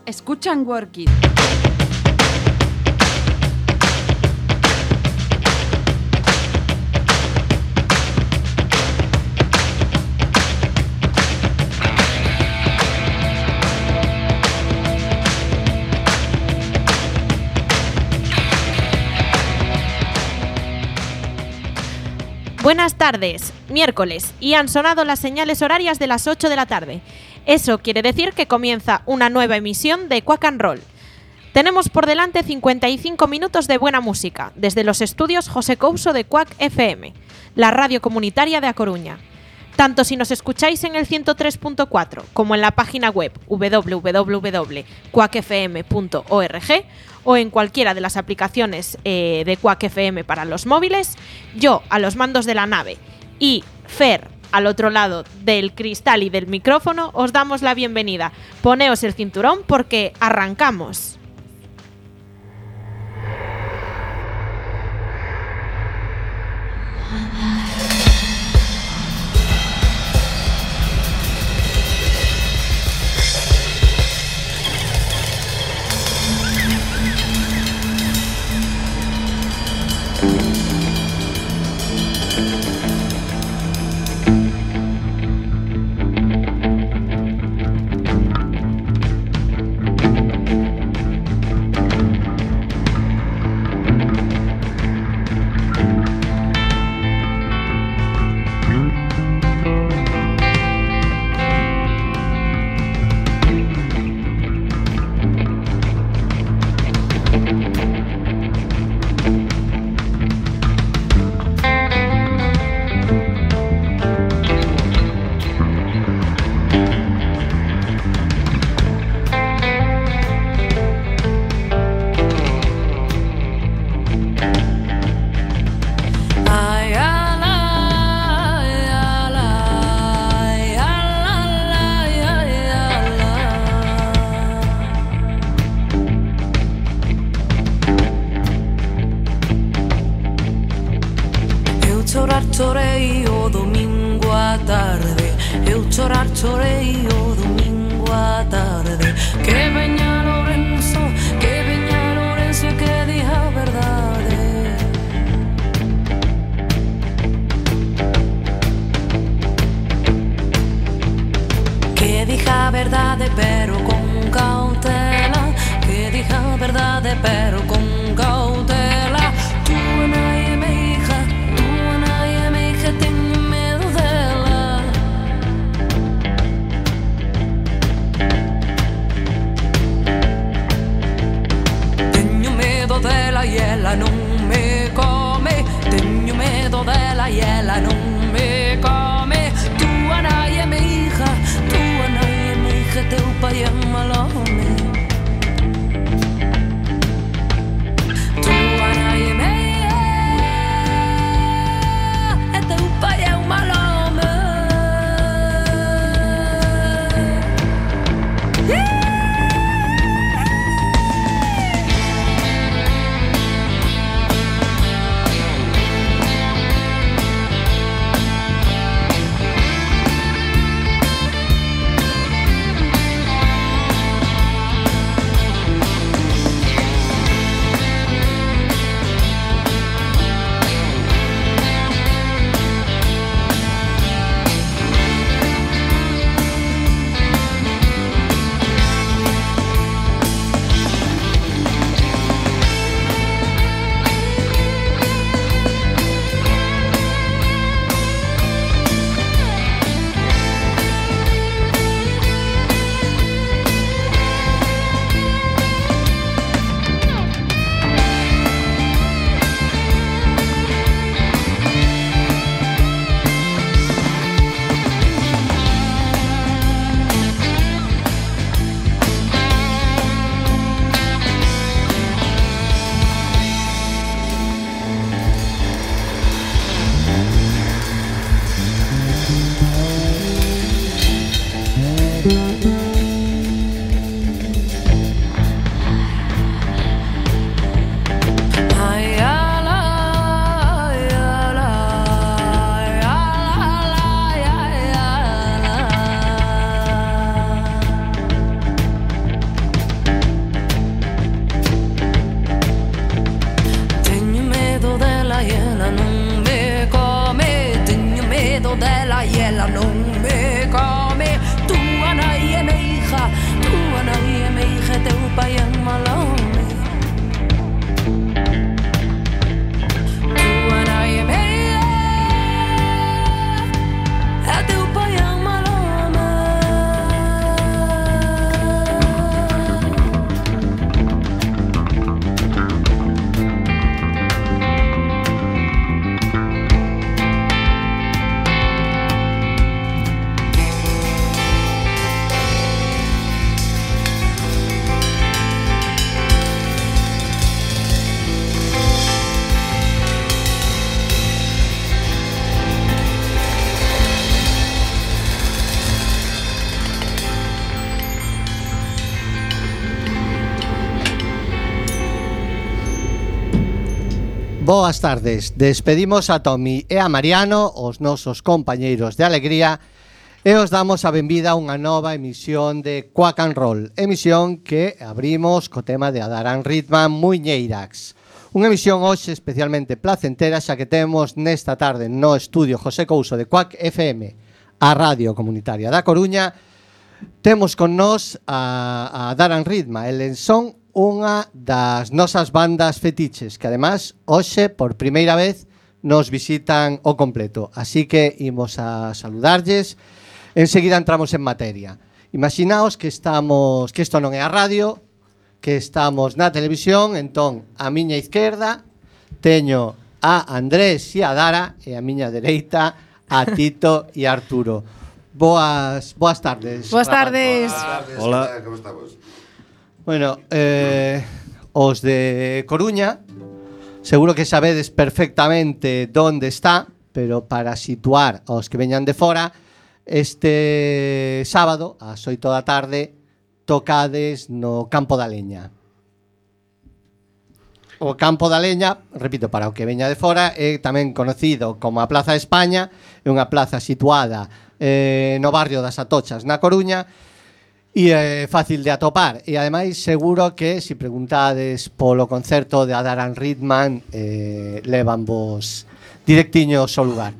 Escuchan Work It. Buenas tardes, miércoles, y han sonado las señales horarias de las 8 de la tarde. Eso quiere decir que comienza una nueva emisión de Quack and Roll. Tenemos por delante 55 minutos de buena música, desde los estudios José Couso de Quack FM, la radio comunitaria de A Coruña. Tanto si nos escucháis en el 103.4 como en la página web www.quackfm.org o en cualquiera de las aplicaciones de Quack FM para los móviles, yo a los mandos de la nave y Fer al otro lado del cristal y del micrófono os damos la bienvenida. Poneos el cinturón porque arrancamos. Chorei o domingo à tarde, eu chorei o domingo à tarde. Que veña Lourenço, que diga a verdade. Que diga a verdade pero con cautela, que diga a verdade pero con cautela. Tu nai é minha hija, que tenho medo dela. Boas tardes. Despedimos a Tomi e a Mariano, os nosos compañeiros de alegría, e os damos a benvida a unha nova emisión de Quack and Roll, emisión que abrimos co tema de Adaran Ritman Muiñeirax. Unha emisión hoxe especialmente placentera, xa que temos nesta tarde no estudio José Couso de Quack FM, a Radio Comunitaria da Coruña. Temos con nós a Adaran Ritma, eles son unha das nosas bandas fetiches, que además hoxe por primeira vez nos visitan o completo, así que imos a saludarlles. Enseguida entramos en materia. Imaginaos que isto non é a radio, que estamos na televisión. Entón, a miña izquierda teño a Andrés e a Dara, e a miña dereita a Tito e a Arturo. Boas tardes. Boas tardes. Hola, como estamos? Bueno, os de Coruña seguro que sabedes perfectamente onde está, pero para situar aos que veñan de fora, este sábado ás 8 da tarde tocades no Campo da Leña. O Campo da Leña, repito, para o que veña de fora, é tamén conocido como a Plaza de España, é unha plaza situada no barrio das Atochas, na Coruña, e é fácil de atopar. E ademais seguro que se preguntades polo concerto de Adaran Ritman, levan vos directiños ao lugar.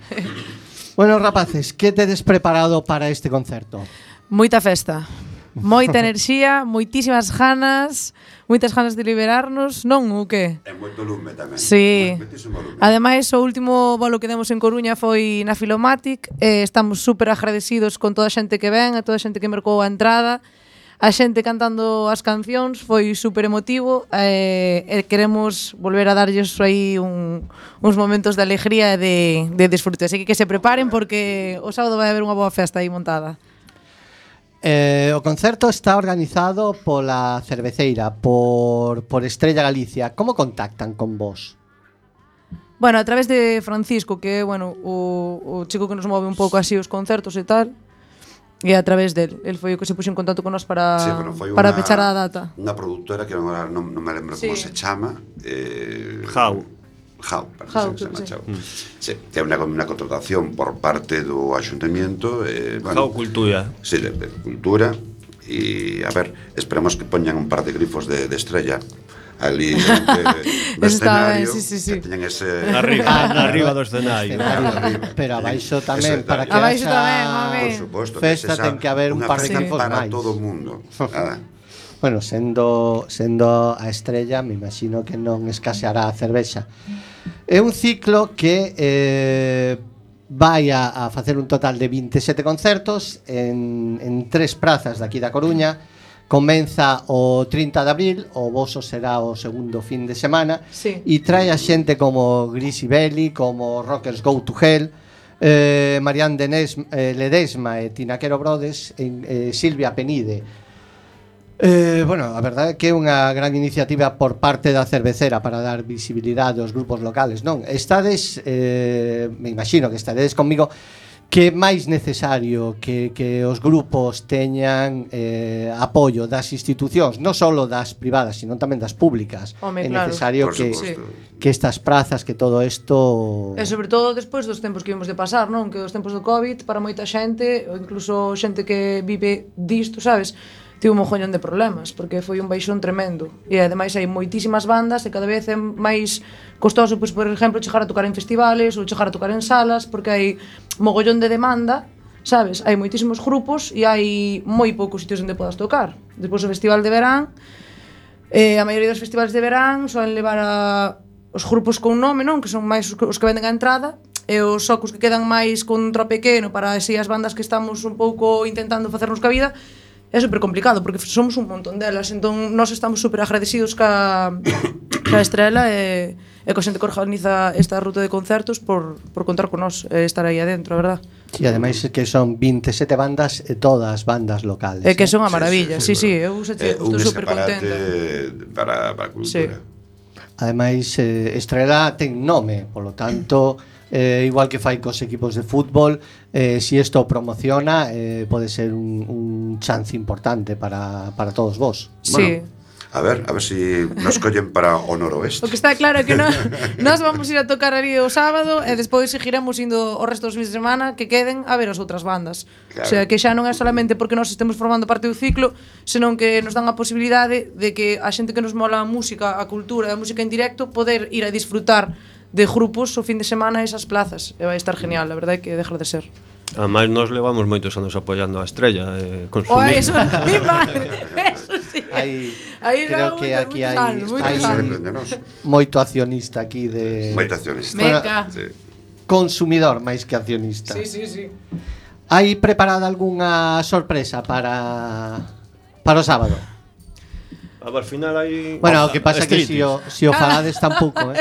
Bueno, rapaces, que tedes preparado para este concerto? Moita festa, moita enerxía, moitísimas ganas, moitas ganas de liberarnos, non o que? É moito lume tamén. Sí. Lume. Ademais, o último bolo que demos en Coruña foi na Filomatic, estamos super agradecidos con toda a xente que ven, a toda a xente que mercou a entrada, a xente cantando as cancións, foi super emotivo, e queremos volver a darlles aí uns momentos de alegría e de disfrute, así que se preparen porque o sábado vai haber unha boa festa aí montada. O concerto está organizado pola cerveceira, por Estrella Galicia. Como contactan con vos? Bueno, a través de Francisco, que é o chico que nos move un pouco así os concertos e tal, e a través del, el foi o que se puxo en contacto con nós para pechar a data. Unha produtora que non me lembro como se chama, Jau, parece que se chama. Sí, que é unha contratación por parte do Ayuntamiento, Jau Cultura. Sí, de cultura. E a ver, esperamos que poñan un par de grifos de estrella ali no escenario, sí. que teñan ese arriba do escenario. Pero abaixo tamén, para que abaixo tamén, por suposto, festa ten que haber un par de grifos para máis. todo o mundo. Bueno, sendo a Estrella, me imagino que non escaseará a cervexa. É un ciclo que vai a facer un total de 27 concertos en 3 prazas daqui da Coruña. Comeza o 30 de abril, o voso será o segundo fin de semana, sí. E trae a xente como Grisi Belli, como Rockers Go to Hell, Marianne Ledesma e Tinaquero Brodes, Silvia Penide. Bueno, a verdade é que é unha gran iniciativa por parte da cervecera para dar visibilidade aos grupos locales, non? Estades, me imagino que estaredes comigo, que é máis necesario que os grupos teñan apoio das institucións, non só das privadas, sino tamén das públicas. Home, é claro. necesario que estas prazas, que todo isto... E sobre todo despois dos tempos que vimos de pasar, non? Que os tempos do COVID, para moita xente, ou incluso xente que vive disto, sabes? Tivo un mogollón de problemas, porque foi un baixón tremendo. E ademais hai moitísimas bandas e cada vez é máis costoso, pois, por exemplo, chegar a tocar en festivales ou chegar a tocar en salas, porque hai mogollón de demanda, sabes? Hai moitísimos grupos e hai moi poucos sitios onde podas tocar. Despois o festival de verán, a maioría dos festivales de verán soen levar os grupos con nome, non? Que son máis os que venden a entrada, e os socos que quedan máis con un tro pequeno para así as bandas que estamos un pouco intentando facernos ca vida. É super complicado porque somos un montón delas, entón nós estamos super agradecidos ca Estrela e co xente que organiza esta ruta de concertos por contar con nós e estar aí adentro, a verdad. E ademais que son 27 bandas e todas bandas locales. E que son a maravilla, sí, eu estou super contenta. Para a cultura. Sí. Ademais, Estrela ten nome, polo tanto, igual que fai cos equipos de fútbol, si isto promociona, pode ser un chance importante para todos vos. Sí. Bueno, A ver si nos collen para o noroeste. O que está claro é que nós vamos ir a tocar ali o sábado e despois seguiremos indo o resto dos fins de semana que queden a ver as outras bandas. Claro. O sea, que xa non é solamente porque nós estemos formando parte do ciclo, senón que nos dan a posibilidade de que a xente que nos mola a música, a cultura e a música en directo poder ir a disfrutar de grupos o fin de semana a esas plazas. E vai estar genial, a verdade é que dejar de ser. Ademais, nós levamos moitos anos apoiando a Estrella, consumir. Eso, mi madre, eso sí. Aí creo que aquí hai moito accionista aquí de Moita accionista. Meca. Sí. consumidor máis que accionista. Sí. Hai preparada algunha sorpresa para o sábado? A ver, al final hai... Bueno, o que pasa que si o falades tampouco,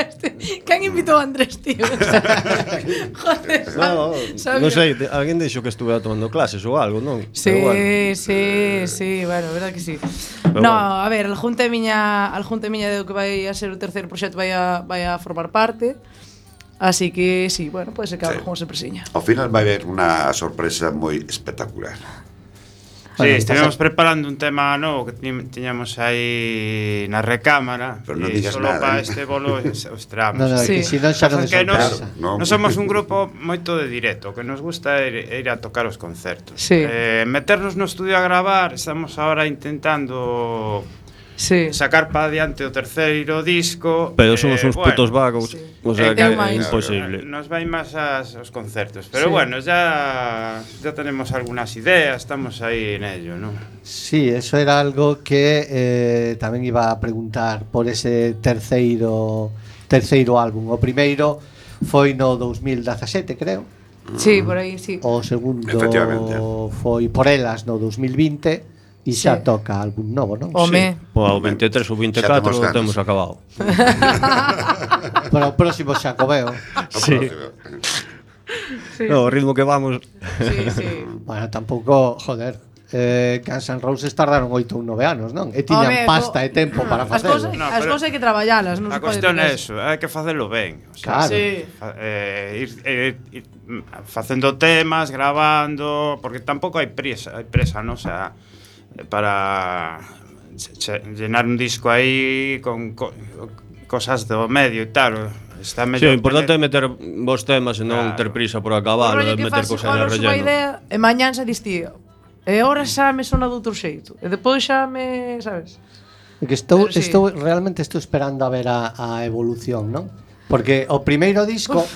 Quen invitou a Andrés, tío? Joder, No, sabía. non sei, alguén dixo que estuvera tomando clases ou algo, non? Sí, Pero bueno. sí, bueno, verdad que sí. Pero No, bueno. a ver, al junte miña do que vai a ser o terceiro proxecto vai a formar parte. Así que sí, bueno, pode ser que haga Sí. como sorpresiña. Ao final vai haber unha sorpresa moi espectacular. Sí, Bueno, estivemos preparando un tema novo que tiñamos aí na recámara. Pero non e digas solo nada, para ¿eh? este bolo os tramos. No, Sí. que si non xa non é Pasa que sorpresa. Claro, nos somos un grupo moito de directo, que nos gusta ir a tocar os concertos. Sí. Meternos no estudio a gravar, estamos ahora intentando Sí. sacar para adiante o terceiro disco. Pero somos uns putos vagos, sí. o sea que Ten é máis. imposible. Nos vai máis aos concertos. Pero Sí. bueno, ya tenemos algunas ideas, estamos aí en ello, ¿no? Sí, eso era algo que tamén iba a preguntar por ese terceiro álbum. O primeiro foi no 2017, creo. Sí, por aí, sí. O segundo Efectivamente. foi por elas no 2020 e xa Sí. toca álbum novo, non? Home. O 23 ou 24 temos ganas. temos acabado. Para o próximo xa co veo. Sí. No, o ritmo que vamos. Sí. Bueno, tampouco, joder, Guns N' Roses tardaron 8 ou 9 anos, non? E tiñan Home, pasta e tempo para As facelo. cousas, No, as pero- cousas hai que traballalas, non A se pode cuestión é ter- eso, hai que facelo ben. O sea, Claro. Sí. Ir facendo temas, grabando, porque tampouco hai presa, non? O sea, para llenar un disco aí con cosas do medio e tal. Está Sí, mellor o importante é tener- meter vos temas e non Claro. ter prisa por acabar, O rollo e que meter fas cosas igual de os unha relleno. idea e mañán xa distía. E ahora xa me sona de outro xeito. E depois xa me, sabes? É que estou Pero sí. realmente estou esperando a ver a evolución, non? Porque o primeiro disco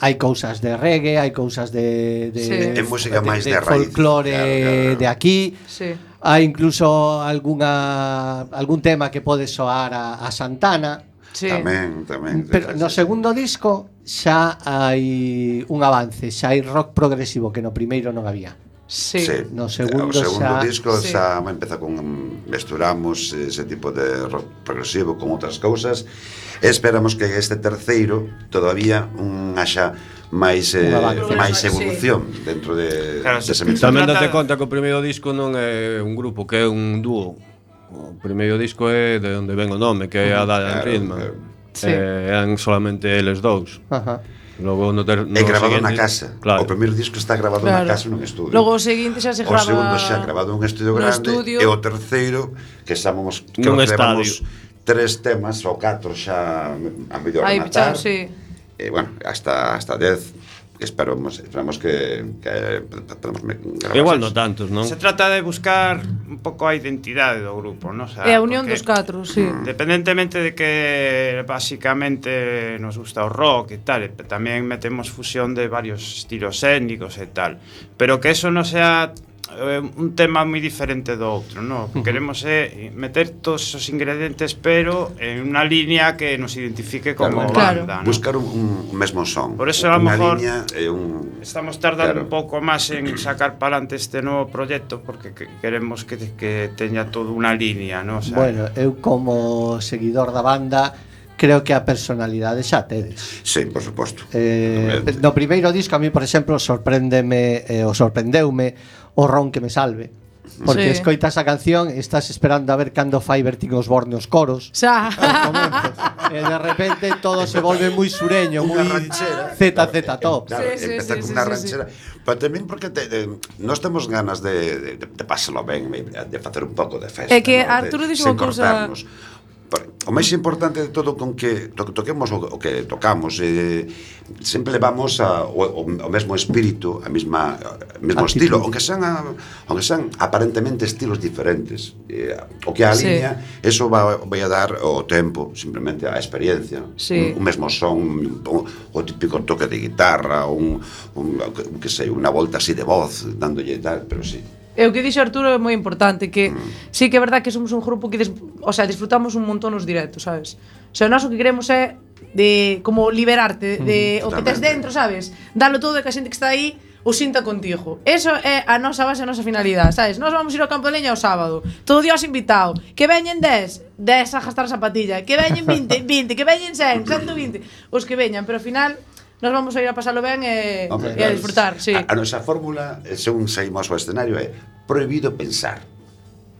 hai cousas de reggae, hai cousas de Sí. É música máis de raíz. folclore Claro. de aquí. Sí. Hai incluso algún tema que pode soar a Santana. Sí. Tamén. Pero no segundo disco xa hai un avance, xa hai rock progresivo que no primeiro non había. Sí. No segundo o segundo xa- disco Sí. xa empeza con mesturamos ese tipo de rock progresivo con outras cousas e esperamos que este terceiro todavía haxa máis Un avance. máis Sí. evolución dentro de Claro, dese sí. mestura. Tamén trata- date conta que o primeiro disco non é un grupo, que é un dúo. O primeiro disco é de onde ven o nome, que é a Diane Claro, Ridman. claro. Sí. Eran solamente eles dous. Ajá. Logo no É grabado na seguinte- casa. Claro. O primeiro disco está grabado na Claro. casa nun estudio. Logo o seguinte xa se O grava segundo xa grabado nun estudio no grande estudio. e o terceiro que estamos Nun creo que estadio. levamos 3 temas ou 4 xa a mellor Aí rematar. pichado, sí. E bueno, hasta 10 que esperamos que podemos gravar. Igual no tantos, non? Se trata de buscar un pouco a identidade do grupo, non? O sea, É a unión porque dos catro, sí. Independentemente de que básicamente nos gusta o rock e tal, e tamén metemos fusión de varios estilos étnicos e tal, pero que eso non sea un tema moi diferente do outro, no? O que queremos é meter todos esos ingredientes, pero en unha línea que nos identifique como Claro. banda, ¿no? Buscar un mesmo son. Por eso, a lo unha mejor, liña e un Estamos tardando Claro. un pouco máis en sacar para adelante este novo proxecto porque queremos que teña toda unha línea, ¿no? O sea, Bueno, eu como seguidor da banda creo que a personalidade xa tedes. Sí, por suposto. No primeiro disco a mí, por exemplo, sorprendeume o ron que me salve. Porque escoitas a canción e estás esperando a ver cando fai Bertín Osborne os coros. Xa. Aos comentos. de repente todo se volve muy sureño, Unha muy ranchera. ZZ Top. Claro, Sí, sí, empeza sí, con sí, unha sí, ranchera. Pero tamén porque nós temos ganas de pasalo ben, de facer un pouco de festa. É que ¿no? Arturo dixo Sen unha cousa- cortarnos. O máis importante de todo con que toquemos o que tocamos sempre levamos o mesmo espírito, o mesmo Actitud. estilo, aunque sean aparentemente estilos diferentes. O que alinea, eso vai a dar o tempo, simplemente a experiencia. Sí. Un mesmo son, o típico toque de guitarra, que sei, unha volta así de voz, dándolle tal, pero sí. E o que dixo Arturo é moi importante, que sí que é verdad que somos un grupo que disfrutamos un montón os directos, sabes? O sea, nós o que queremos é de como liberarte de o que tes Totalmente. dentro, sabes? Dalo todo e que a xente que está aí o sinta contigo. Eso é a nosa base, a nosa finalidade, sabes? Nós vamos ir ao Campo de Leña o sábado, todo Dios invitado. Que veñen 10 a gastar a zapatilla. Que veñen 20, que veñen 100, 120. Os que veñan, pero ao final nós vamos a ir a pasalo ben e a disfrutar, sí. A nosa fórmula, según saímos ao escenario, é prohibido pensar.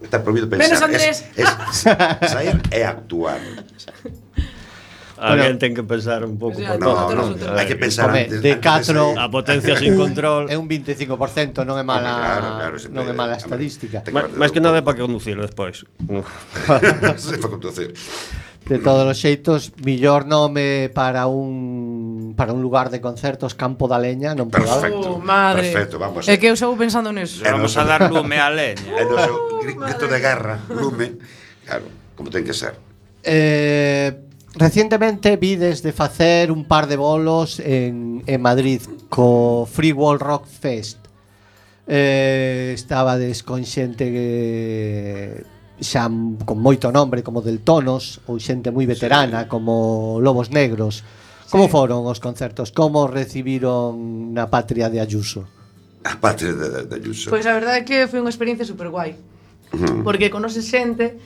Está prohibido pensar. Menos Andrés. Es sair e actuar. Alguén ten que pensar un pouco Sí, por No, todo. no, hai que pensar Home, antes. de antes catro- sair. A potencia sin control. É un 25%, non é mala, Claro, non é mala estadística. Máis que nada é para conducir despois. Se fa conducir. De todos os xeitos, millor nome para un lugar de concertos, Campo da Leña, non pode haber. Perfecto. Madre. Perfecto, vamos. É que eu estou pensando neso. Vamos a dar lume á leña. É no seu grito de guerra, lume. Claro, como ten que ser. Recientemente vides de facer un par de bolos en Madrid co Free World Rock Fest. Estabades con xente que xa con moito nombre como Del Tonos ou xente moi veterana como Lobos Negros. Como foron os concertos? Como recibiron na patria de Ayuso? A patria de Ayuso. Pois a verdade é que foi unha experiencia super guai. Porque conoces xente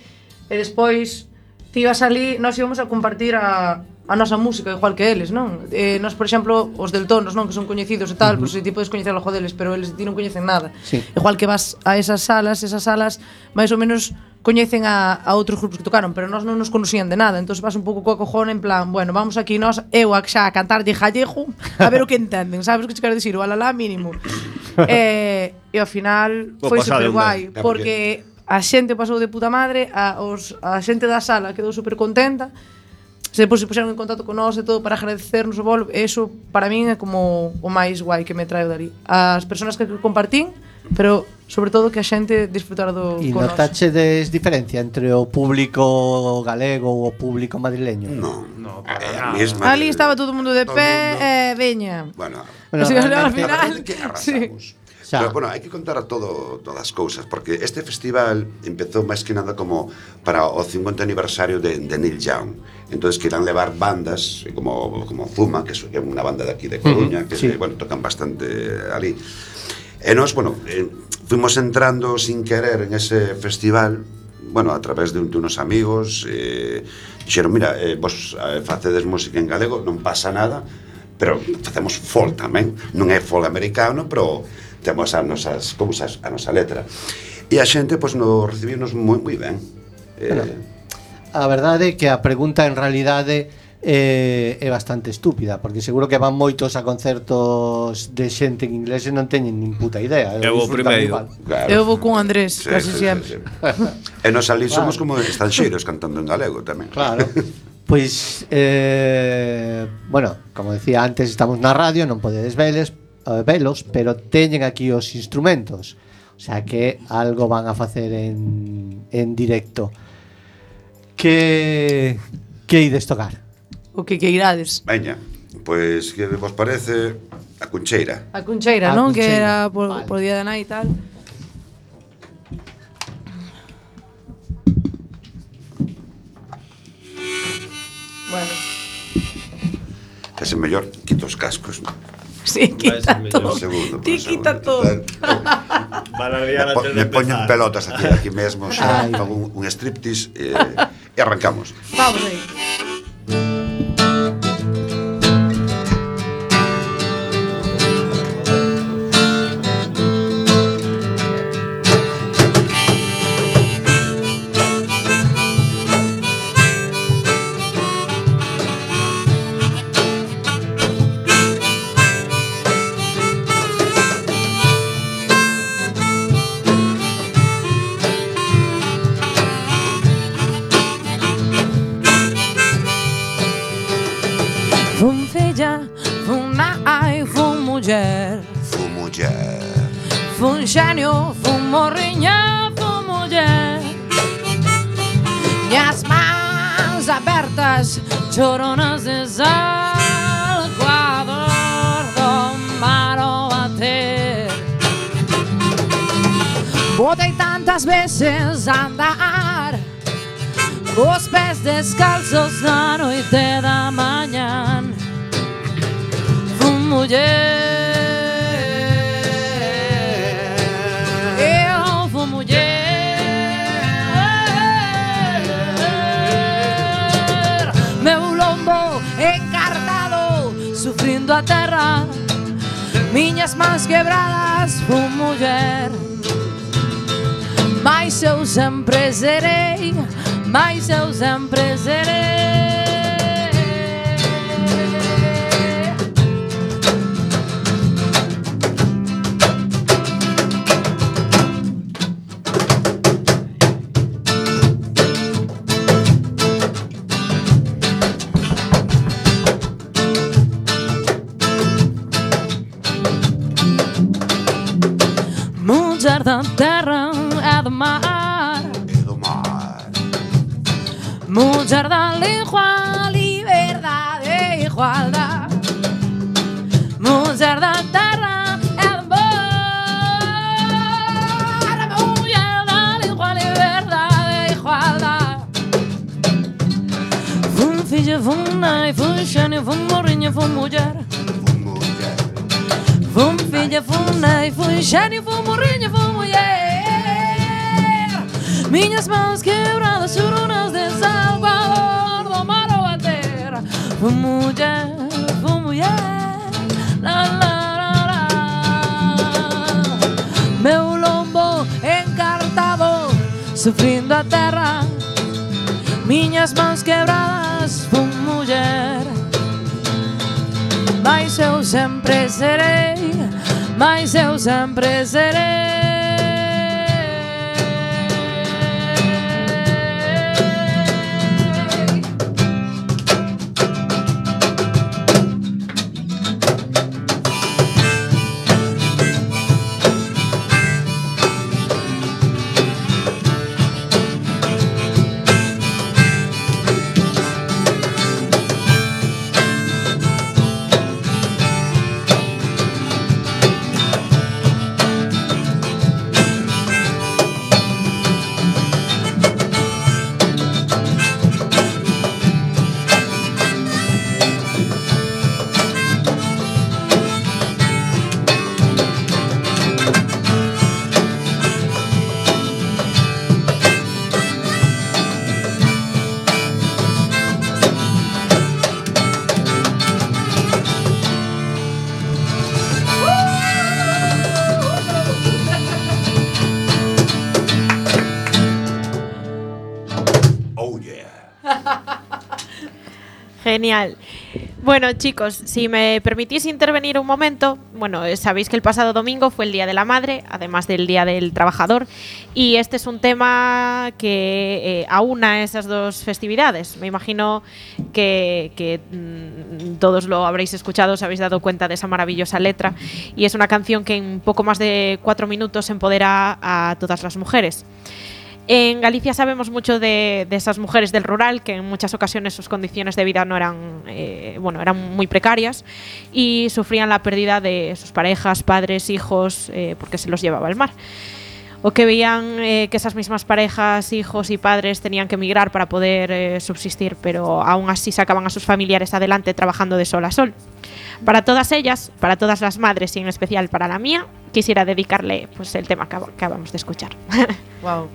e despois ti ibas ali, nós íbamos a compartir a nosa música igual que eles, non? Nós, por exemplo, os Del Tonos, non, que son coñecidos e tal, pois ti podes coñecer o jo deles, pero eles ti non coñecen nada. Sí. Igual que vas a esas salas máis ou menos coñecen a outros grupos que tocaron, pero nós non nos conocían de nada, entón vas un pouco coa cojona en plan, bueno, vamos aquí nós, eu xa a cantar de gallego, a ver o que entenden, sabes o que che quero dicir, o alalá mínimo. E ao final foi super guai, porque a xente pasou de puta madre, a xente da sala quedou super contenta. Se depois se puxeron en contacto con nós e todo para agradecernos o bolo, eso para min é como o máis guai que me traio dali. As persoas que compartín, pero sobre todo que a xente disfrutara do E con nós. notachedes diferencia entre o público galego ou o público madrileño? No, para A nada. mesma Ali estaba todo o mundo de todo pé mundo. e veña. Bueno, Bueno, O sea, al realmente- final, que sí. arrasamos. Xa. Pero, bueno, hai que contar a todas as cousas, porque este festival empezou máis que nada como para o 50 aniversario de Neil Young. Entonces querían levar bandas como Zuma, que é unha banda de aquí de Coruña, que sí. bueno, tocan bastante ali. E nós, bueno, fuimos entrando sin querer en ese festival, bueno, a través de unos amigos, dixeron, mira, vos facedes música en galego, non pasa nada, pero facemos folk tamén, non é folk americano, pero temos as nosas cousas, a nosa letra. E a xente, pois, nos recibirnos moi ben. A verdade é que a pregunta en realidade é bastante estúpida, porque seguro que van moitos a concertos de xente en inglés e non teñen nin puta idea. Eu vou disfrutan primeiro. igual. Claro. Eu vou con Andrés, casi sempre. E nos ali somos como estranxeiros cantando en galego tamén. Claro. Pois, bueno, como decía antes, estamos na radio, non podedes velos, pero teñen aquí os instrumentos. O sea que algo van a facer en directo. Que ides tocar? O que irades. Veña, pois que vos parece a Cuncheira. A Cuncheira, A non? Que Cuncheira, era por, vale. por día de nai e tal. Bueno, Ese mellor quito os cascos. sí, quita mellor. todo. Un segundo, Ti un quita segundo. todo. Van a liar antes de Me poñen empezar. pelotas aquí mesmo, xa, Ai. fago un striptease e arrancamos. Vamos aí. xenio, fun morriña, fun muller. Miñas mans abertas, choronas de sal, coa dor do mar ao bater. Botei tantas veces a andar, os pés descalzos na noite da mañán. Fun muller. Sufrindo a terra, miñas mans quebradas, fun muller. Mais eu sempre serei, mais eu sempre serei. Muller da terra e do mar, muller da lingua, liberdade e igualdade. Muller da terra e do mar, muller da lingua, liberdade e igualdade. Fun filla, fun nai, fun xenio, fun morriña, fun muller. Fun filla, fun nai, fun xenio, fun morriña, fun muller. Miñas mãos quebradas, choronas de sal, coa dor do mar ao bater. Fun muller, la la la la. Meu lombo encartado, sufrindo a terra. Miñas mãos quebradas, fun muller. Mas eu sempre serei, mas eu sempre serei. Genial. Bueno, chicos, si me permitís intervenir un momento, bueno, sabéis que el pasado domingo fue el Día de la Madre, además del Día del Trabajador, y este es un tema que aúna esas dos festividades. Me imagino que todos lo habréis escuchado, os habéis dado cuenta de esa maravillosa letra, y es una canción que en poco más de 4 minutos empodera a todas las mujeres. En Galicia sabemos mucho de esas mujeres del rural que en muchas ocasiones sus condiciones de vida no eran, eran muy precarias y sufrían la pérdida de sus parejas, padres, hijos, porque se los llevaba el mar. O que veían que esas mismas parejas, hijos y padres tenían que emigrar para poder subsistir, pero aún así sacaban a sus familiares adelante trabajando de sol a sol. Para todas ellas, para todas las madres y en especial para la mía, quisiera dedicarle pues, el tema que acabamos de escuchar. Wow.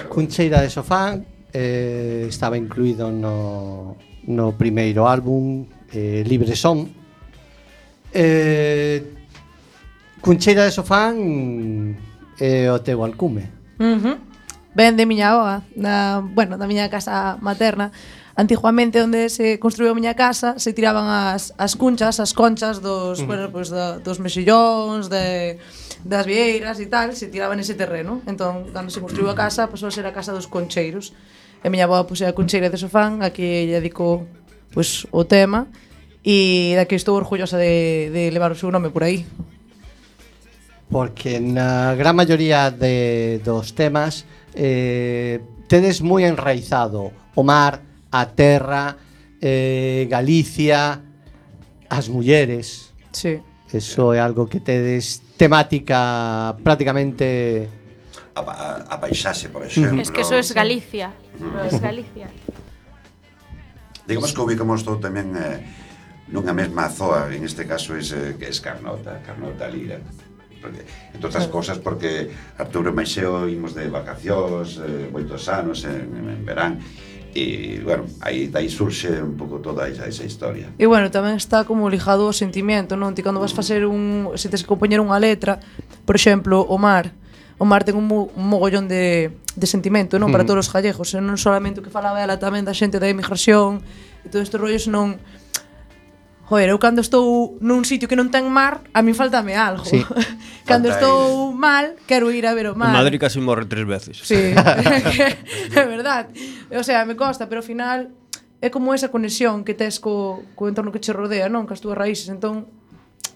Cuncheira de Sofán estaba incluído no primeiro álbum Libre Son. Cuncheira de Sofán é o teu alcume. Ben de miña avoa, da miña casa materna. Antiguamente onde se construiu a miña casa se tiraban as conchas dos, dos mexillóns, das vieiras e tal, se tiraban ese terreno. Entón, cando se construiu a casa, pasou a ser a casa dos concheiros. E a miña avoa é a Cuncheira de Sofán, a que lle dedicou o tema. e da que estou orgullosa de levar o seu nome por aí. Porque na gran maioría dos temas tedes moi enraizado o mar, a terra, Galicia, as mulleres. Sí. Eso é algo que tedes temática prácticamente... A paisaxe, por exemplo. Es que eso es Galicia. Es Galicia. Digamos que ubicamos todo tamén nunha mesma zoa, en este caso que es Carnota Lira. Porque, entre outras cosas, porque Arturo e Maixeo imos de vacacións moitos anos en verán, e, bueno, aí surxe un pouco toda esa historia. E, bueno, tamén está como ligado ao sentimento, non? Ti cando vas facer se tes que compoñer unha letra, por exemplo, o mar ten un mogollón de sentimento, non? Para todos os gallegos, e non solamente o que falaba ela, tamén da xente da emigración e todo estes rollos, non... Joder, eu cando estou nun sitio que non ten mar, a min faltame algo. Sí. Cando estou mal, quero ir a ver o mar. En Madrid casi morre 3 veces. Sí, é verdad. O sea, me costa, pero ao final é como esa conexión que tes co entorno que che rodea, non? Cas túas raíces, entón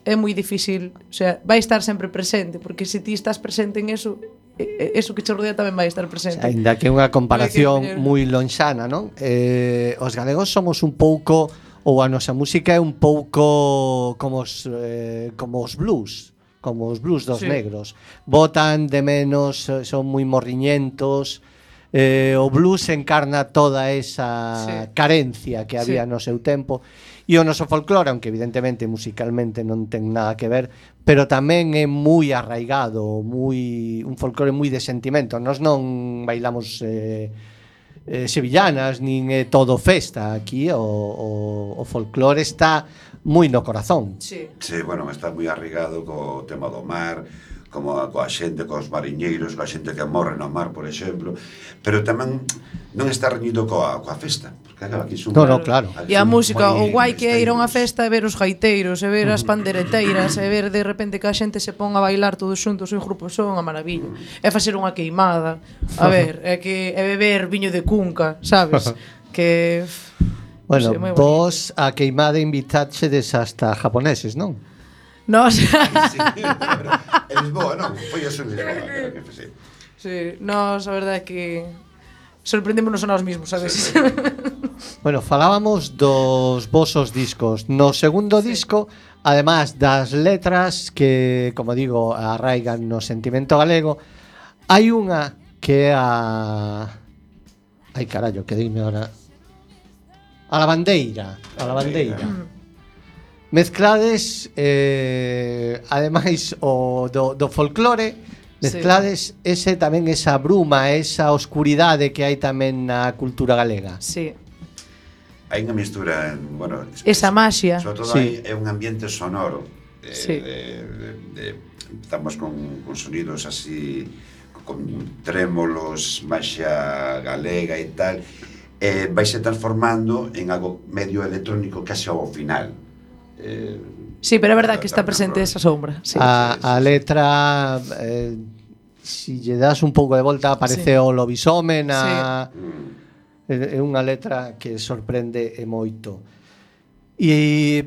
é moi difícil, o sea, vai estar sempre presente, porque se ti estás presente en eso, eso que che rodea tamén vai estar presente. Ainda que é unha comparación moi lonxana, non? Os galegos somos un pouco, ou a nosa música é un pouco como os blues, dos negros. Botan de menos, son moi morriñentos. O blues encarna toda esa carencia que había no seu tempo. E o noso folclore, aunque evidentemente musicalmente non ten nada que ver, pero tamén é moi arraigado, un folclore moi de sentimento. Nós non bailamos sevillanas, nin é todo festa. Aquí o folclore está moi no corazón. Sí, bueno, está moi arraigado co tema do mar, como coa xente, cos mariñeiros, coa xente que morre no mar, por exemplo, pero tamén non está reñido coa festa, porque aquí son... No, claro. E a música, o guai que é ir a unha festa e ver os gaiteiros, e ver as pandereteiras, e ver de repente que a xente se pon a bailar todos xuntos en grupo, son unha maravilla. É facer unha queimada, a ver, é beber viño de cunca, sabes? Que... Bueno, vos a queimada invitaxedes hasta japoneses, non? Nos... Sí, pero en Lisboa, non? Foi eso en Lisboa, creo que foi, sí. Sí, nos, a verdade é que sorprendémonos a nós mismos, sabes? Bueno, falábamos dos vosos discos. No segundo disco, además das letras que, como digo, arraigan no sentimento galego, hai unha que é a... Ai, carallo, que dime ahora... A la bandeira. Mezclades, ademais, o do folclore, mezclades ese tamén esa bruma, esa oscuridade que hai tamén na cultura galega. Sí. Hai unha mistura, bueno... Esa maxia. Sobre todo é un ambiente sonoro. Estamos con sonidos así, con trémolos, maxia galega e tal... vaise transformando en algo medio electrónico case ao final. Sí, pero é verdad que está presente esa sombra. Sí. A letra, si lle das un pouco de volta, aparece o lobisomén. É unha letra que sorprende e moito. E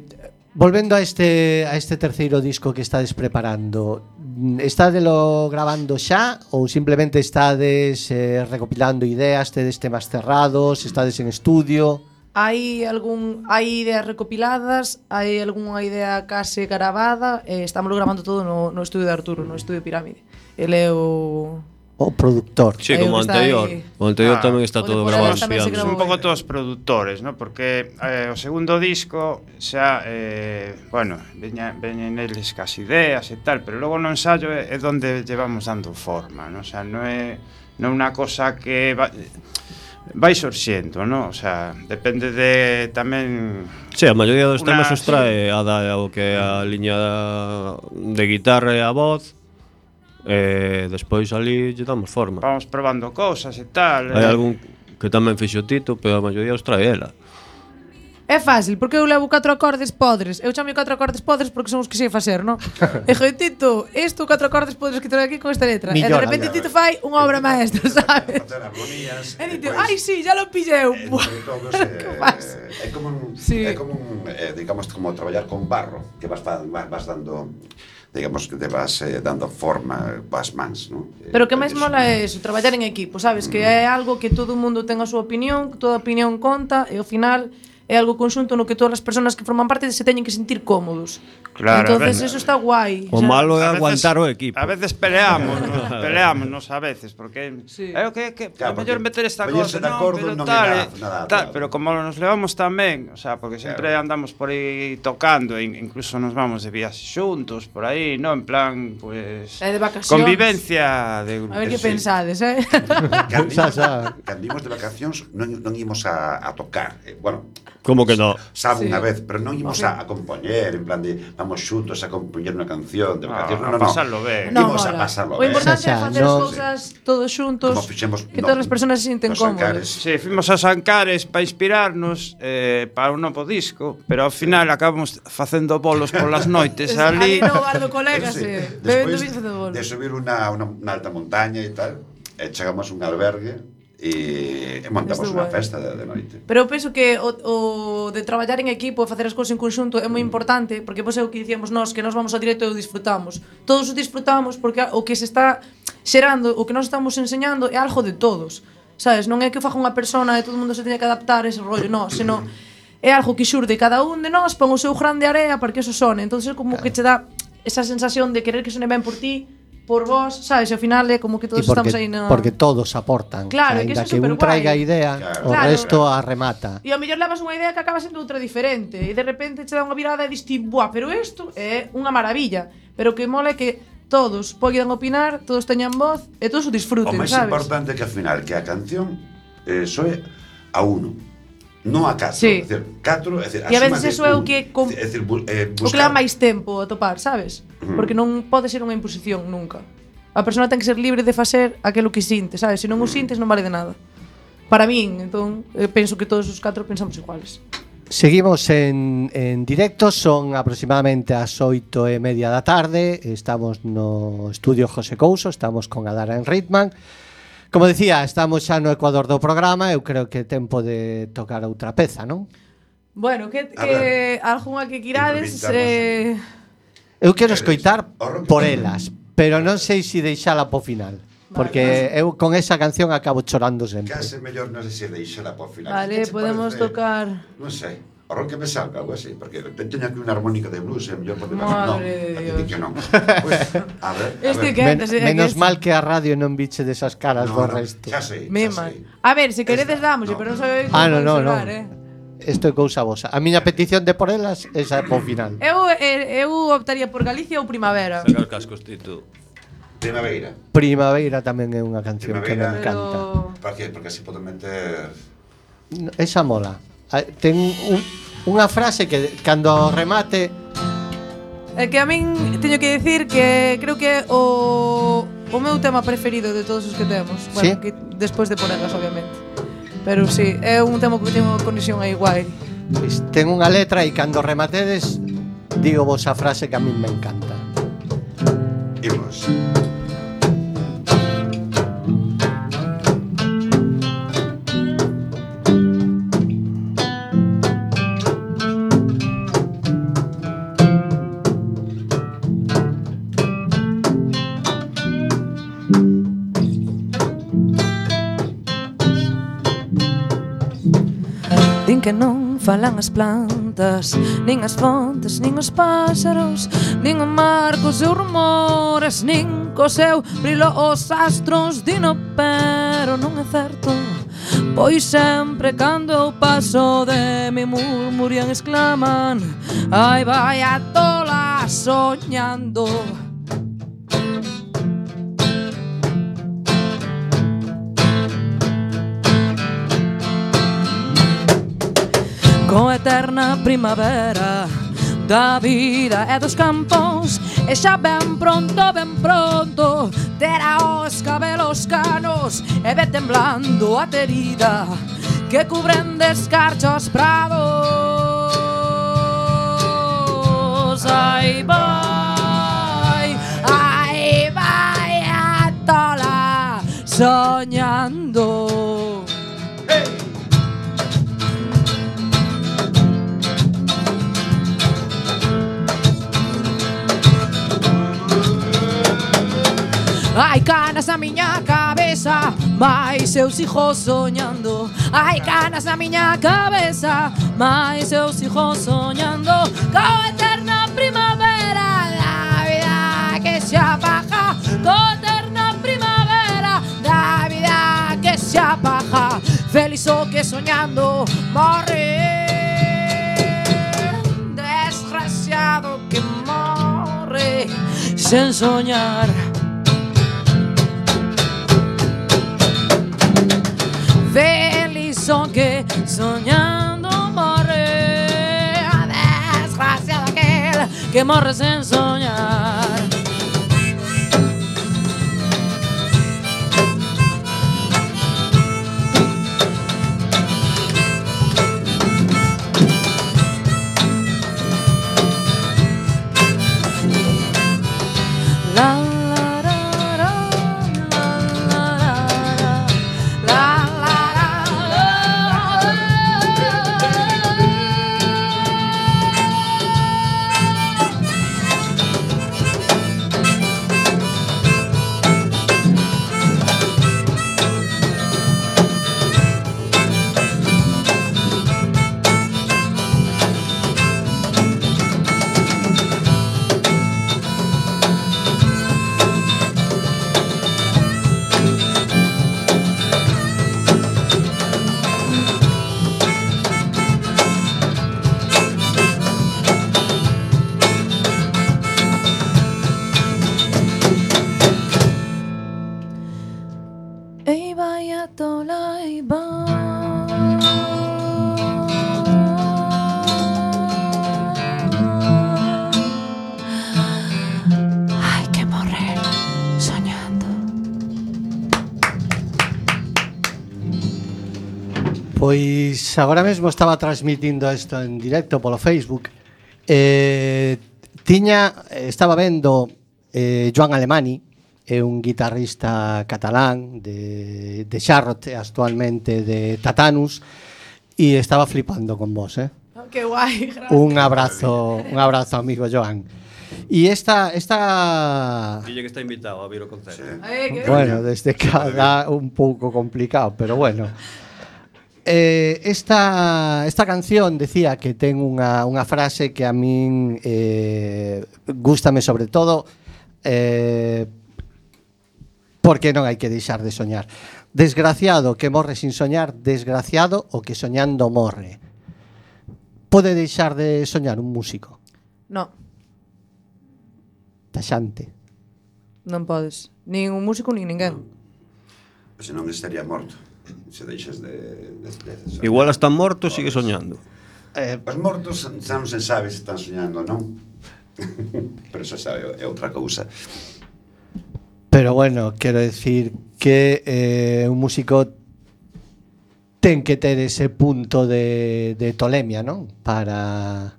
volvendo a este terceiro disco que estades preparando, estádelo grabando xa ou simplemente estades recopilando ideas, tedes temas cerrados, estades en estudio? Hai ideas recopiladas, hai algunha idea case gravada, estámoslo gravando todo no estudio de Arturo, no estudio Pirámide. Ele é o productor. Sí, como o anterior. O anterior tamén está todo grabado en piano. Un pouco todos produtores, ¿no? Porque o segundo disco xa, bueno, veñen eles cas ideas e tal, pero logo no ensayo é onde llevamos dando forma, ¿no? O sea, non é unha cosa que vai sorxendo, ¿no? O sea, depende de tamén... Sí, a maioría dos temas os trae o que a liña de guitarra e a voz. Despois ali lle damos forma. Vamos probando cousas e tal. Hai algún que tamén fixo Tito, pero a maioría os trae ela. É fácil, porque eu levo 4 acordes podres. Eu chamo 4 acordes podres porque son os que sei facer, non? E dixo, Tito, isto 4 acordes podres que trae aquí con esta letra. Millora, E de repente Tito fai unha obra maestra, sabes? Facer armonías. E Tito, ai, sí, ya lo pilleu. Entre todos, é como un, Sí. é como un, digamos, como traballar con barro, que vas dando, digamos, que te vas dando forma, vas mans, ¿no? Pero o que máis mola é eso, traballar en equipo, sabes? Que é algo que todo o mundo ten a súa opinión, toda opinión conta, e ao final é algo conxunto no que todas as persoas que forman parte se teñen que sentir cómodos. Claro, Entonces a ver, eso está guai. O malo é A veces- aguantar o equipo. A veces peleámonos a veces, porque Sí. a Claro, mellor porque meter esta poñerse cosa, de acordo pero non é tal, nada, tal, claro. pero como nos levamos tan ben, o sea, porque sempre Claro. andamos por aí tocando, e incluso nos vamos de viaxe xuntos por aí, no, en plan, pues E de vacacións. convivencia de A ver que Sí. pensades, Cando imos de vacacións non imos a tocar. Bueno, Como que no? sabe Sí. unha vez, pero non imos Ok. a compoñer, en plan de vamos xuntos a compoñer unha canción de vacacións. a pasarlo ben. No, Imos a mola. pasarlo O ben. importante é Xa, facer as non- cousas todos xuntos, Como fixemos que todas as persoas se sinten nos Ancares. cómodos. Sí, fuimos aos Ancares para inspirarnos para un novo disco, pero ao final acabamos facendo bolos polas noites ali. Ali no bar do colega, Sí. bebendo Despois vinho de bolo. de subir unha alta montaña e tal, chegamos a un albergue e montamos Isto unha guai. festa de noite. Pero eu penso que o de traballar en equipo e facer as cousas en conxunto é moi importante, porque vos é o que dicíamos nós, que nós vamos ao directo e o disfrutamos. Todos o disfrutamos porque o que se está xerando, o que nós estamos enseñando é algo de todos. Sabes, non é que o faga unha persona e todo o mundo se teña que adaptar a ese rollo, non, senón é algo que xurde cada un de nós, pon o seu grande area para que eso sone. Entonces é como que che dá esa sensación de querer que sone ben por ti, por vos, sabes, e ao final é como que todos estamos aí na... porque todos aportan. Claro, que Ainda eso é que un superguai. traiga a idea, Claro. o Claro. resto a remata. E ao mellor levas unha idea que acaba sendo outra diferente e de repente che dá unha virada e dis ti, buah, pero isto é unha maravilla. Pero o que mola é que todos poidan opinar, todos teñan voz e todos o O disfruten, máis sabes? importante é que ao final que a canción soe a uno, non a 4. Sí. É dicir, 4, é dicir, E a suma veces de eso é o un. que É dicir, o que leva máis tempo a topar, sabes? Porque non pode ser unha imposición nunca. A persona ten que ser libre de facer aquilo que sinte, sabes? Se non o sintes non vale de nada. Para min, entón, penso que todos os 4 pensamos iguales. Seguimos en directo, son aproximadamente as 8:30 da tarde. Estamos no estudio José Couso, estamos con Adara en Ritman. Como decía, estamos xa no ecuador do programa. Eu creo que é tempo de tocar outra peza, non? Bueno, que ver. algunha que quirades Eu quero escoitar O rock- por elas, pero non sei se deixala po final. Porque eu con esa canción acabo chorando sempre. Case mellor non sei se deixala por final. Vale, Que che podemos parece? tocar. Non sei. O rock que me salga, algo así, porque teño aquí unha armónica de blues, mellor porque Madre de Dios. que non. Pues, a ver, Este que Menos mal que a radio non biche desas caras do resto. xa sei, Me xa mal. sei. A ver, se queredes Esta, dámoslle, no. pero non sabe No. Isto é cousa vosa. A miña petición de por elas esa po final. Eu optaría por Galicia ou Primavera. Saca os cascos, Tito. Primavera. Primavera tamén é unha canción que me Primavera. encanta. Para que? Porque así podo meter... Esa mola. Ten unha frase que cando ao remate É que a min teño que decir que creo que é o meu tema preferido de todos os que temos. Bueno, ¿Sí? que despois de ponelas, obviamente. Pero sí, é un tema que ten unha conexión aí guai. ten unha letra e cando rematedes digo vos a frase que a min me encanta. Imos. Din que non falan as plantas, nin as fontes, nin os páxaros, nin o mar cos seus rumores, nin co seu brilo os astros. Dino, pero non é certo, pois sempre cando eu paso de mi murmurian, exclaman: ai, vai a tola soñando. Con eterna primavera da vida e dos campos, e xa ben pronto terá os cabelos canos e ve temblando a terida que cubren de escarchos prados. aí vai a tola soñando. Hai canas na miña cabeza, mais eu sigo soñando. Hai canas na miña cabeza, mais eu sigo soñando. Coa eterna primavera da vida que se apaga. Coa eterna primavera da vida que se apaga. Feliz o que soñando morre. Desgraciado que morre sen soñar. Feliz son que soñando morre. Desgraciado aquel que morre sen soñar. La la la la la la Ei vai a tola ei Hai que morrer soñando. Pois agora mesmo estaba transmitindo isto en directo polo Facebook. Estaba vendo Joan Alemany, é un guitarrista catalán de Charlotte, actualmente de Tatanus, e estaba flipando con vos, Oh, que guai, gracias. Un abrazo, amigo Joan. E esta Dille que está invitado a vir o concerto. bueno, desde cada un pouco complicado, pero bueno. Esta canción decía que ten unha frase que a min gústame sobre todo, porque non hai que deixar de soñar. Desgraciado que morre sin soñar, desgraciado o que soñando morre. Pode deixar de soñar un músico? No, Taxante. non podes. Nin un músico, nin ninguén. Se non estaría morto. Se deixas de soñar. Igual hasta morto sigue soñando. Os mortos xa non se sabe se están soñando ou non. Pero eso sabe, é outra cousa. Pero bueno, quero decir que un músico ten que ter ese punto de tolemia, non? Para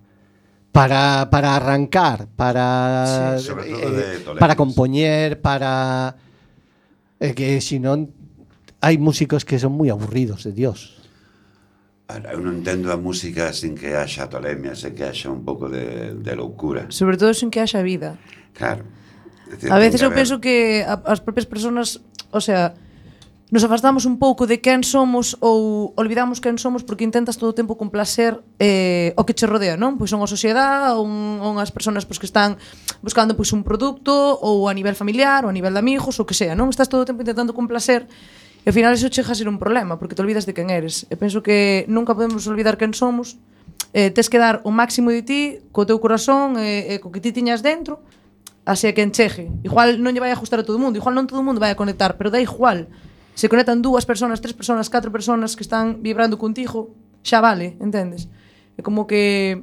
arrancar, para Sí, sobre todo de tolemia, para compoñer, para que si non hai músicos que son moi aburridos, de Dios. Ahora, eu non entendo a música sin que haxa tolemia, sen que haxa un pouco de loucura. Sobre todo sin que haxa vida. Claro. Decir, A veces ten eu que haber- penso que as propias persoas, o sea, nos afastamos un pouco de quen somos ou olvidamos quen somos porque intentas todo o tempo complacer o que che rodea, non? Pois son a sociedade ou as persoas pois, que están buscando pois, un produto ou a nivel familiar ou a nivel de amigos ou que sea, non? Estás todo o tempo intentando complacer e ao final eso chega a ser un problema porque te olvidas de quen eres. E penso que nunca podemos olvidar quen somos. Tes que dar o máximo de ti co teu corazón e co que ti tiñas dentro así a quen chegue. Igual non lle vai a ajustar a todo o mundo, igual non todo o mundo vai a conectar, pero da igual. Se conectan 2 persoas, 3 persoas, 4 persoas que están vibrando contigo, xa vale, entendes? É como que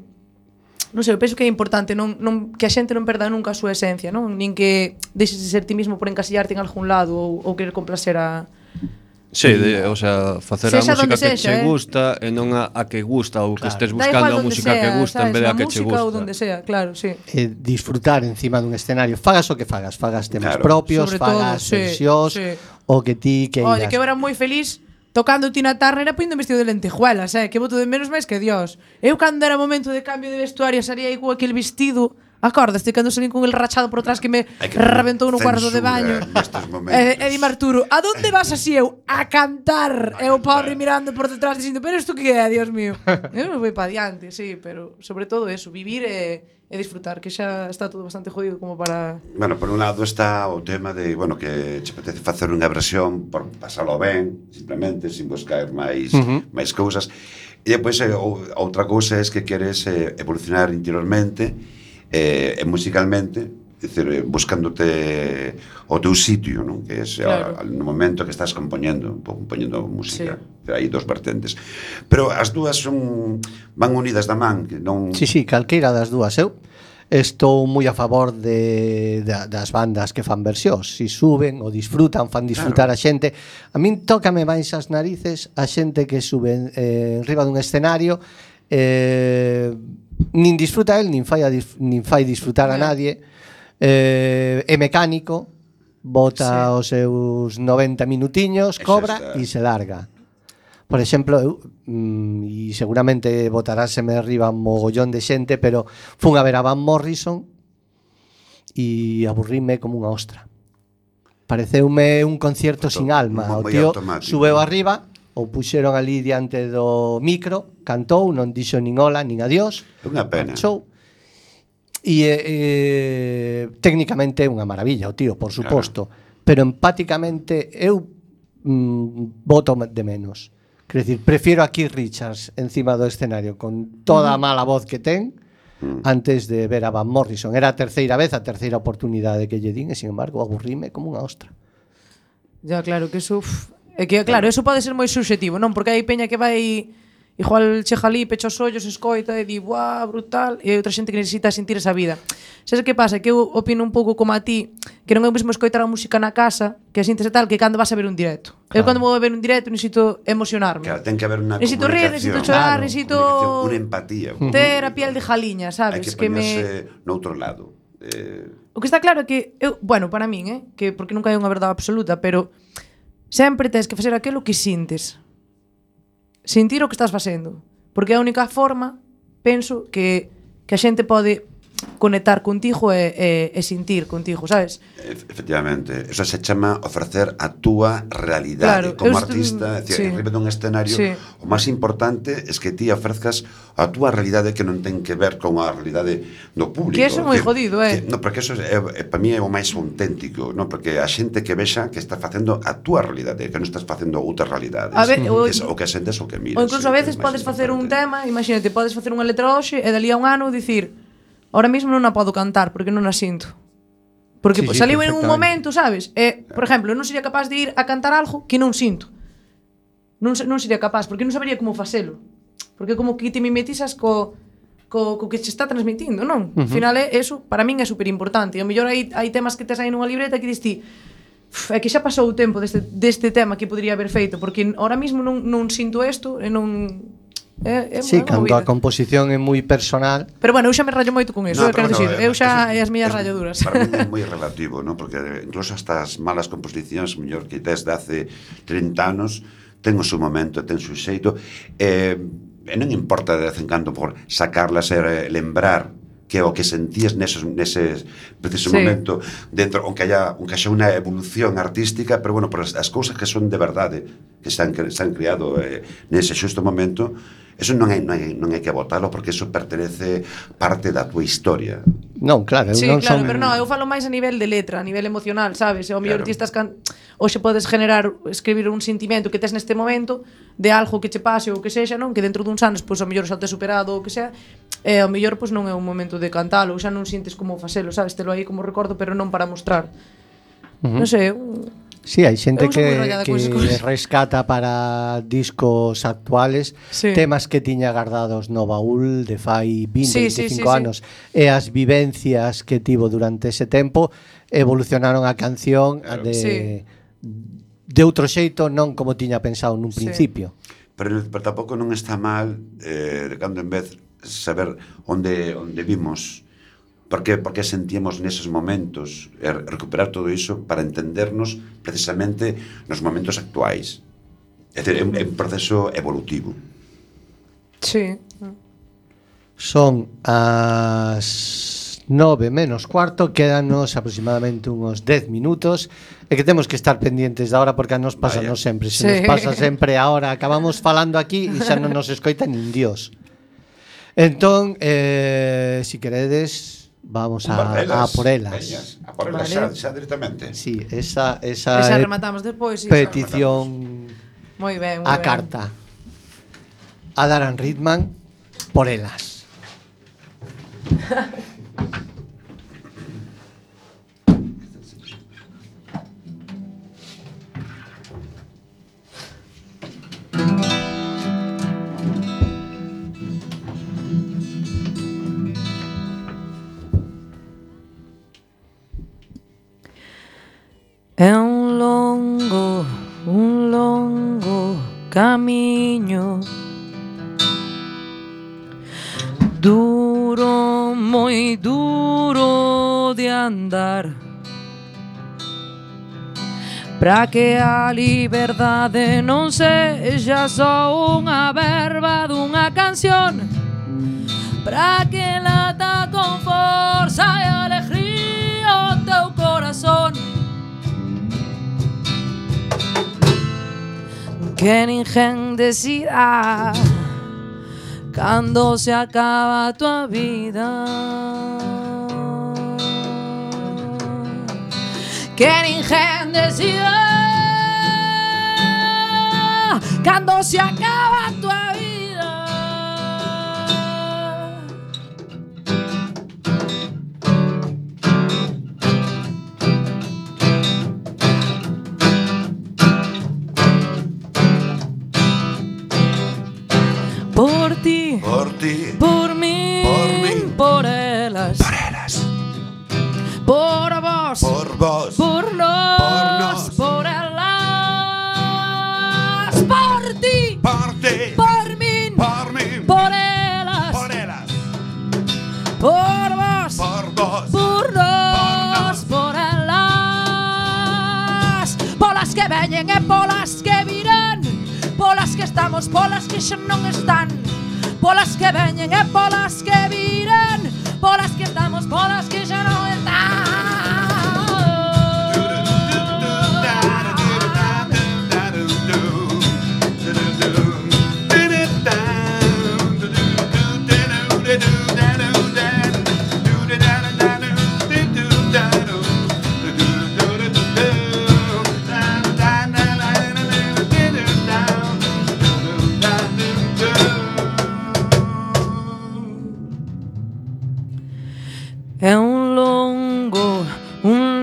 non sei, eu penso que é importante que a xente non perda nunca a súa esencia, non? Nin que deixes de ser ti mismo por encasillarte en algún lado ou querer complacer a Sí, o sea, facer a Sexa música donde que sexa, che gusta e non a que gusta ou que estés buscando a música que gusta en vez de a que che música gusta. ou donde sea, claro, sí. Disfrutar encima dun escenario. Fagas o que fagas temas Claro. propios, Sobre todo, fagas sí, versións, sí. o que ti queiras. Oye, que eu era moi feliz tocando Tina Turner e poñendo vestido de lentejuelas, que boto de menos máis que Dios. Eu cando era momento de cambio de vestuario salía aí con aquel vestido. Acordaste cando salín con el rachado por atrás que me reventou no cuarto de baño? E di Arturo, a donde vas así eu? A cantar. E o pobre mirando por detrás dicindo, pero isto que é, Dios mío? Eu non vou pa diante, sí, pero sobre todo eso, vivir e disfrutar, que xa está todo bastante jodido como para... Bueno, por un lado está o tema de, bueno, que che apetece facer unha versión por pasalo ben, simplemente, sin buscar máis cousas. E depois outra cousa é que queres evolucionar interiormente e musicalmente, decir, buscándote o teu sitio, non? Que é claro. No momento que estás compoñendo música. Sí. Hai dos vertentes. Pero as dúas van unidas da man, que non... Sí, calqueira das dúas. Eu estou moi a favor das bandas que fan versións. Si suben ou disfrutan, fan disfrutar claro. A xente. A min tócame máis as narices a xente que sube enriba dun escenario nin disfruta el, nin fai disfrutar a nadie, é mecánico, bota os seus 90 minutiños, cobra e se larga. Por exemplo, eu, e seguramente botaráseme arriba un mogollón de xente, pero fun a ver a Van Morrison e aburríme como unha ostra. Pareceume un concierto sin alma. O tío subeu arriba, ou puxeron ali diante do micro, cantou, non dixo nin hola, nin adiós. Unha pena. Show. E técnicamente é unha maravilla o tío, por suposto, claro. Pero empáticamente eu voto de menos. Quer decir, prefiero a Keith Richards encima do escenario con toda a mala voz que ten antes de ver a Van Morrison. Era a terceira vez, a terceira oportunidade que lle din e, sin embargo, aburríme como unha ostra. Ya, claro, que eso... É que, claro, eso pode ser moi subxetivo, non? Porque hai peña que vai igual chega ali, pecha os ollos, escoita e di, buah, brutal, e hai outra xente que necesita sentir esa vida. Sabes que pasa? Que eu opino un pouco como a ti, que non é o mesmo escoitar a música na casa, que a sintes e tal, que cando vas a ver un directo. Claro. Eu cando vou a ver un directo necesito emocionarme. Claro, ten que haber unha necesito rir, necesito chorar, necesito unha empatía. Ter a piel de jaliña, sabes? Hai que ponerse noutro lado. O que está claro é que eu, bueno, para min, que porque nunca hai unha verdade absoluta, pero sempre tens que facer aquilo que sintes. Sentir o que estás facendo. Porque é a única forma, penso, que a xente pode conectar contigo e sentir contigo, sabes? Efectivamente, eso se chama ofrecer a túa realidade, claro, como artista, sí. Arriba dun escenario, sí. O máis importante é que ti ofrezcas a túa realidade que non ten que ver con a realidade do público. Que eso é moi jodido, no, porque eso para mí é o máis auténtico, no? Porque a xente que vexa que estás facendo a túa realidade, que non estás facendo outras realidades. O que sentes o que miras. Ou incluso a veces podes facer un tema, imagínate, podes facer unha letra hoxe e dali a un ano dicir, ahora mesmo non a podo cantar porque non a sinto. Porque sí, saliu en un momento, sabes? Por exemplo, non sería capaz de ir a cantar algo que non sinto. Non sería capaz, porque non sabería como facelo. Porque como que te mimetizas co que se está transmitindo, non? Al final eso, para min é super importante. E ao mellor hai temas que tes aí nunha libreta que dis ti, é que xa pasou o tempo deste tema que podría haber feito, porque ahora mesmo non sinto isto e non... Sí, cando a composición é moi personal. Pero bueno, eu xa me rallo moito con eso, quero dicir, eu xa as miñas ralladuras. Para mí é moi relativo, ¿no? Porque incluso hasta as malas composicións, mellor que desde hace 30 anos, ten o seu momento, ten o seu xeito, e non importa de vez en cando por sacarlas e lembrar que o que sentías nese preciso momento dentro, aunque haya unha evolución artística, pero bueno, por as cousas que son de verdade, que se han creado nese xusto momento, eso non hai que botalo, porque eso pertenece parte da tua historia. Non, claro, sí, non claro, pero non, eu falo máis a nivel de letra, a nivel emocional, sabes? O mellor ti estás hoxe podes escribir un sentimento que tes neste momento de algo que che pase ou que sexa, non? Que dentro duns anos, pois, o mellor xa te superado ou que sea, e o mellor, pois, non é un momento de cantalo, ou xa non sintes como facelo, sabes? Telo aí como recordo, pero non para mostrar. Non sei, Sí, hai xente que rescata para discos actuales temas que tiña guardados no baúl de fai 20, 25 anos e as vivencias que tivo durante ese tempo evolucionaron a canción de de outro xeito, non como tiña pensado nun Sí. principio. Pero tampouco non está mal de cando en vez saber onde vimos, por que sentíamos neses momentos, e recuperar todo iso para entendernos precisamente nos momentos actuais. É dicir, é un proceso evolutivo. Sí. Son as 9 menos cuarto, quédanos aproximadamente unos 10 minutos e que temos que estar pendientes da hora porque a nos pasa Vaya. nos sempre, se Sí. nos pasa sempre a hora, acabamos falando aquí e xa non nos escoita nin Dios. Entón, si queredes, vamos a por elas. Veñas, a por elas Vale. xa directamente. Sí, esa Esa rematamos despois, sí. petición Moi ben, moi a ben. carta a Darren Ridman por elas. É un longo camiño, duro, moi duro de andar, para que a liberdade non sexa só unha verba dunha canción, para que lata con forza e alegría o teu corazón. Que ninguén decida cando se acaba a tua vida. Que ninguén decida cando se acaba a tua vida. Por ti, Por ti, por mí, por elas, por vos, por nos, por elas, por ti, por mí, por elas, por vos, por nos, por elas, polas que veñen e polas que virán, polas que estamos, polas que xa non están, polas que veñen e polas que virán, polas que estamos, polas que xa non están. É un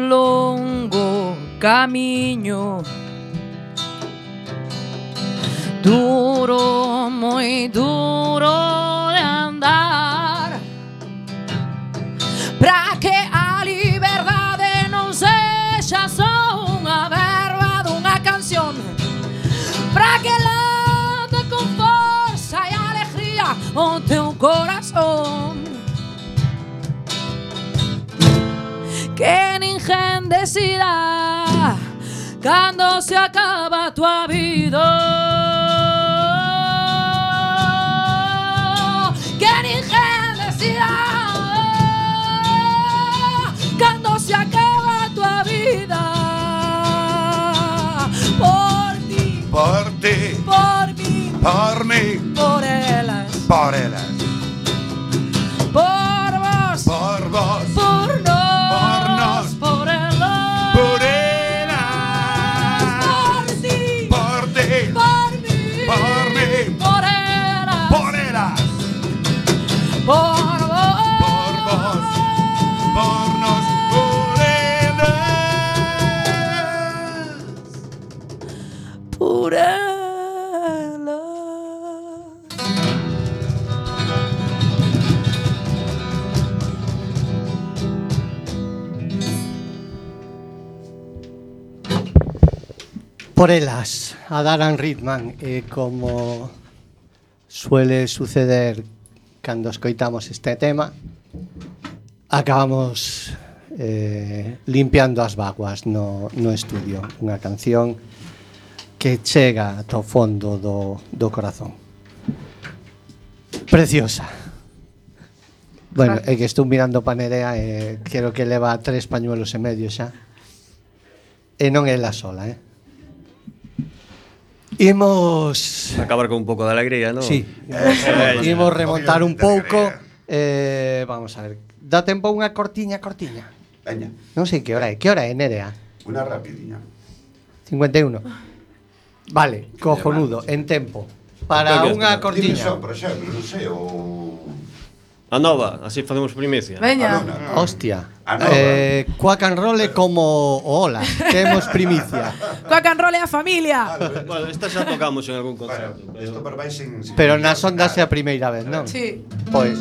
longo camiño, duro, moi duro de andar, para que a liberdade non sexa só unha verba dunha canción, para que late con forza e alegría o teu corazón. Que ninguén decida cando se acaba a tua vida. Que ninguén decida cando se acaba a tua vida. Por ti, por mí, mí, por elas, por elas, por vos, por vos, por nos, por por elas, por elas, por ti, por ti, por mí, por elas, por elas, por vos, por nos, por elas. por elas. Por elas, a Daran Ritman, como suele suceder cando escoitamos este tema, acabamos limpiando as vaguas no estudio. Unha canción que chega ata o fondo do corazón. Preciosa. Bueno, é que estou mirando pa Nerea e quero que leva 3 pañuelos e medio xa. E non é la sola, Imos acabar con un pouco de alegría, non? Sí. Imos remontar un pouco. Vamos a ver. Dá tempo unha cortiña. Veña. Non sei que hora é. Que hora é, Nerea? Unha rapidiña. 51. Vale, cojonudo, en tempo. Para unha cortiña. Por exemplo, non sei, A nova, así facemos primicia. Veña. Hostia. A nova. Quack and Roll é como Ola. Temos primicia. Quack and Roll é a familia. Bueno, esta xa tocamos en algún concerto. Bueno, isto pero vai sin Pero nas ondas é a primeira vez, non? Sí. Pois.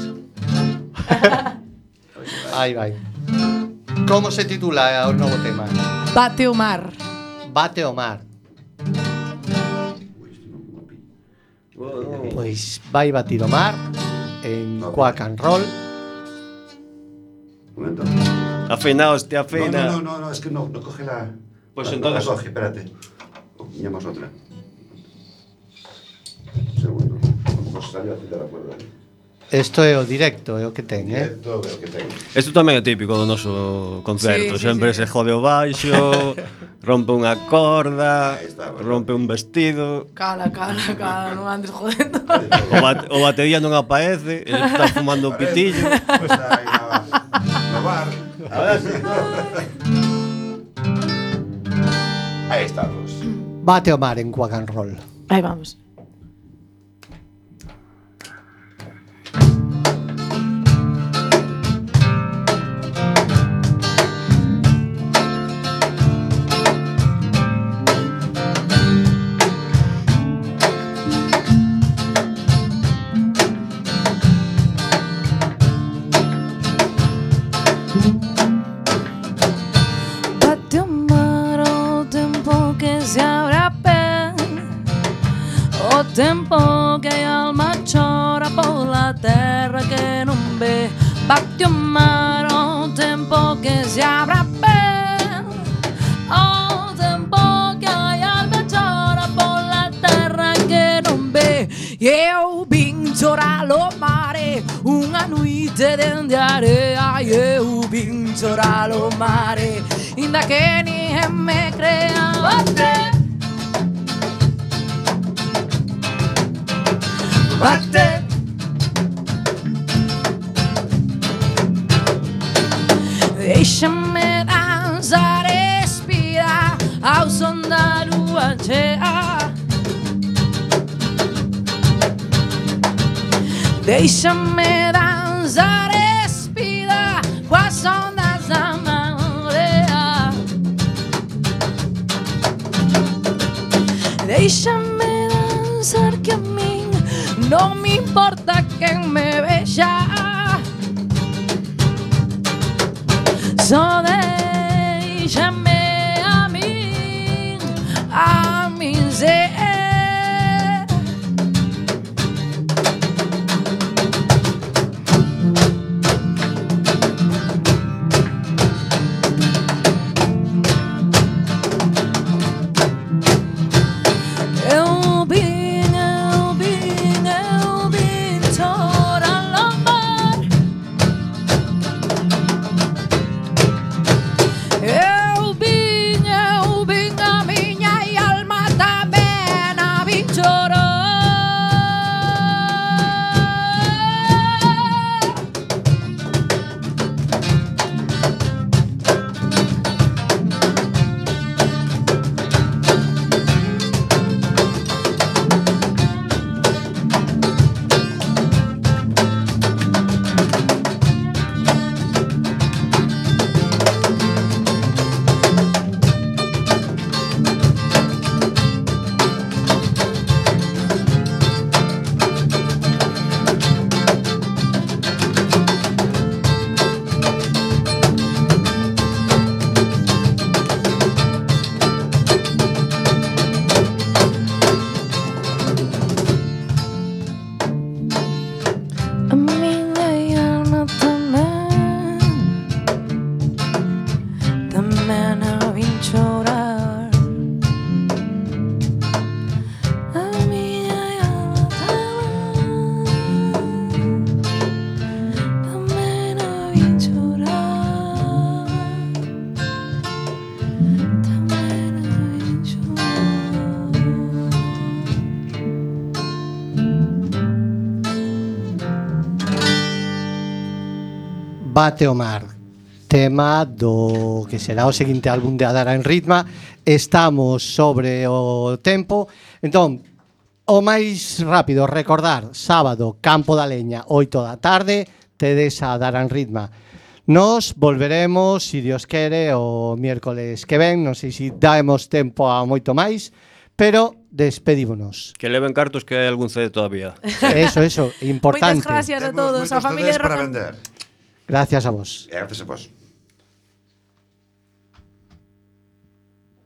Aí vai. Como se titula o novo tema? Bate o mar. Bate o mar. Pois vai batir o mar en Quack and Roll. Un momento. Afina, hostia, afina. No, es que no coge la... Pues la entonces- coge, espérate. Pillamos otra. Un segundo. Como se salió a citar la cuerda. Isto é o directo, é o que ten, Directo, veo que tengo. Isto tamén é típico do noso concerto. Sí, sí, Sempre sí. se jode o baixo, rompe unha corda, Ahí está, rompe un vestido, Cala, non andes jodendo. o batería non aparece, ele está fumando o pitillo. Pues está ahí no bar. A ver si... Ahí estamos. Bate o mar en Quack and Roll. Aí vamos. Bate o mar o tempo que se abre a pé, o tempo que a alma chora pola terra que non ve. Bate o mar o tempo que se abre a pé, o tempo que a alma chora pola terra que non ve. E eu vin chorar o mare unha noite dende a area, e eu vin chorar o mare inda que ninguén me crea. Bate, bate. Déixame danzar e respirar ao son da lúa chea. Déixame danzar e respirar coas ondas da marea. Déixame danzar que a min non me importa quen me vexa. Só déixame a min ser. Eu vim chorar ao mar. Bate o mar, tema do que será o seguinte álbum de Adara en Ritma. Estamos sobre o tempo, entón, o máis rápido, recordar, sábado, Campo da Leña, 8 da tarde, tedes a Adara en Ritma. Nos volveremos, si Dios quere, o miércoles que ven, non sei se daemos tempo a moito máis, pero despedímonos. Que leven cartos que hai algún CD todavía. Eso, importante. Moitas gracias a Temos todos, a moitos familia CDs para Rock and- vender. Gracias a vos. Gracias a vos.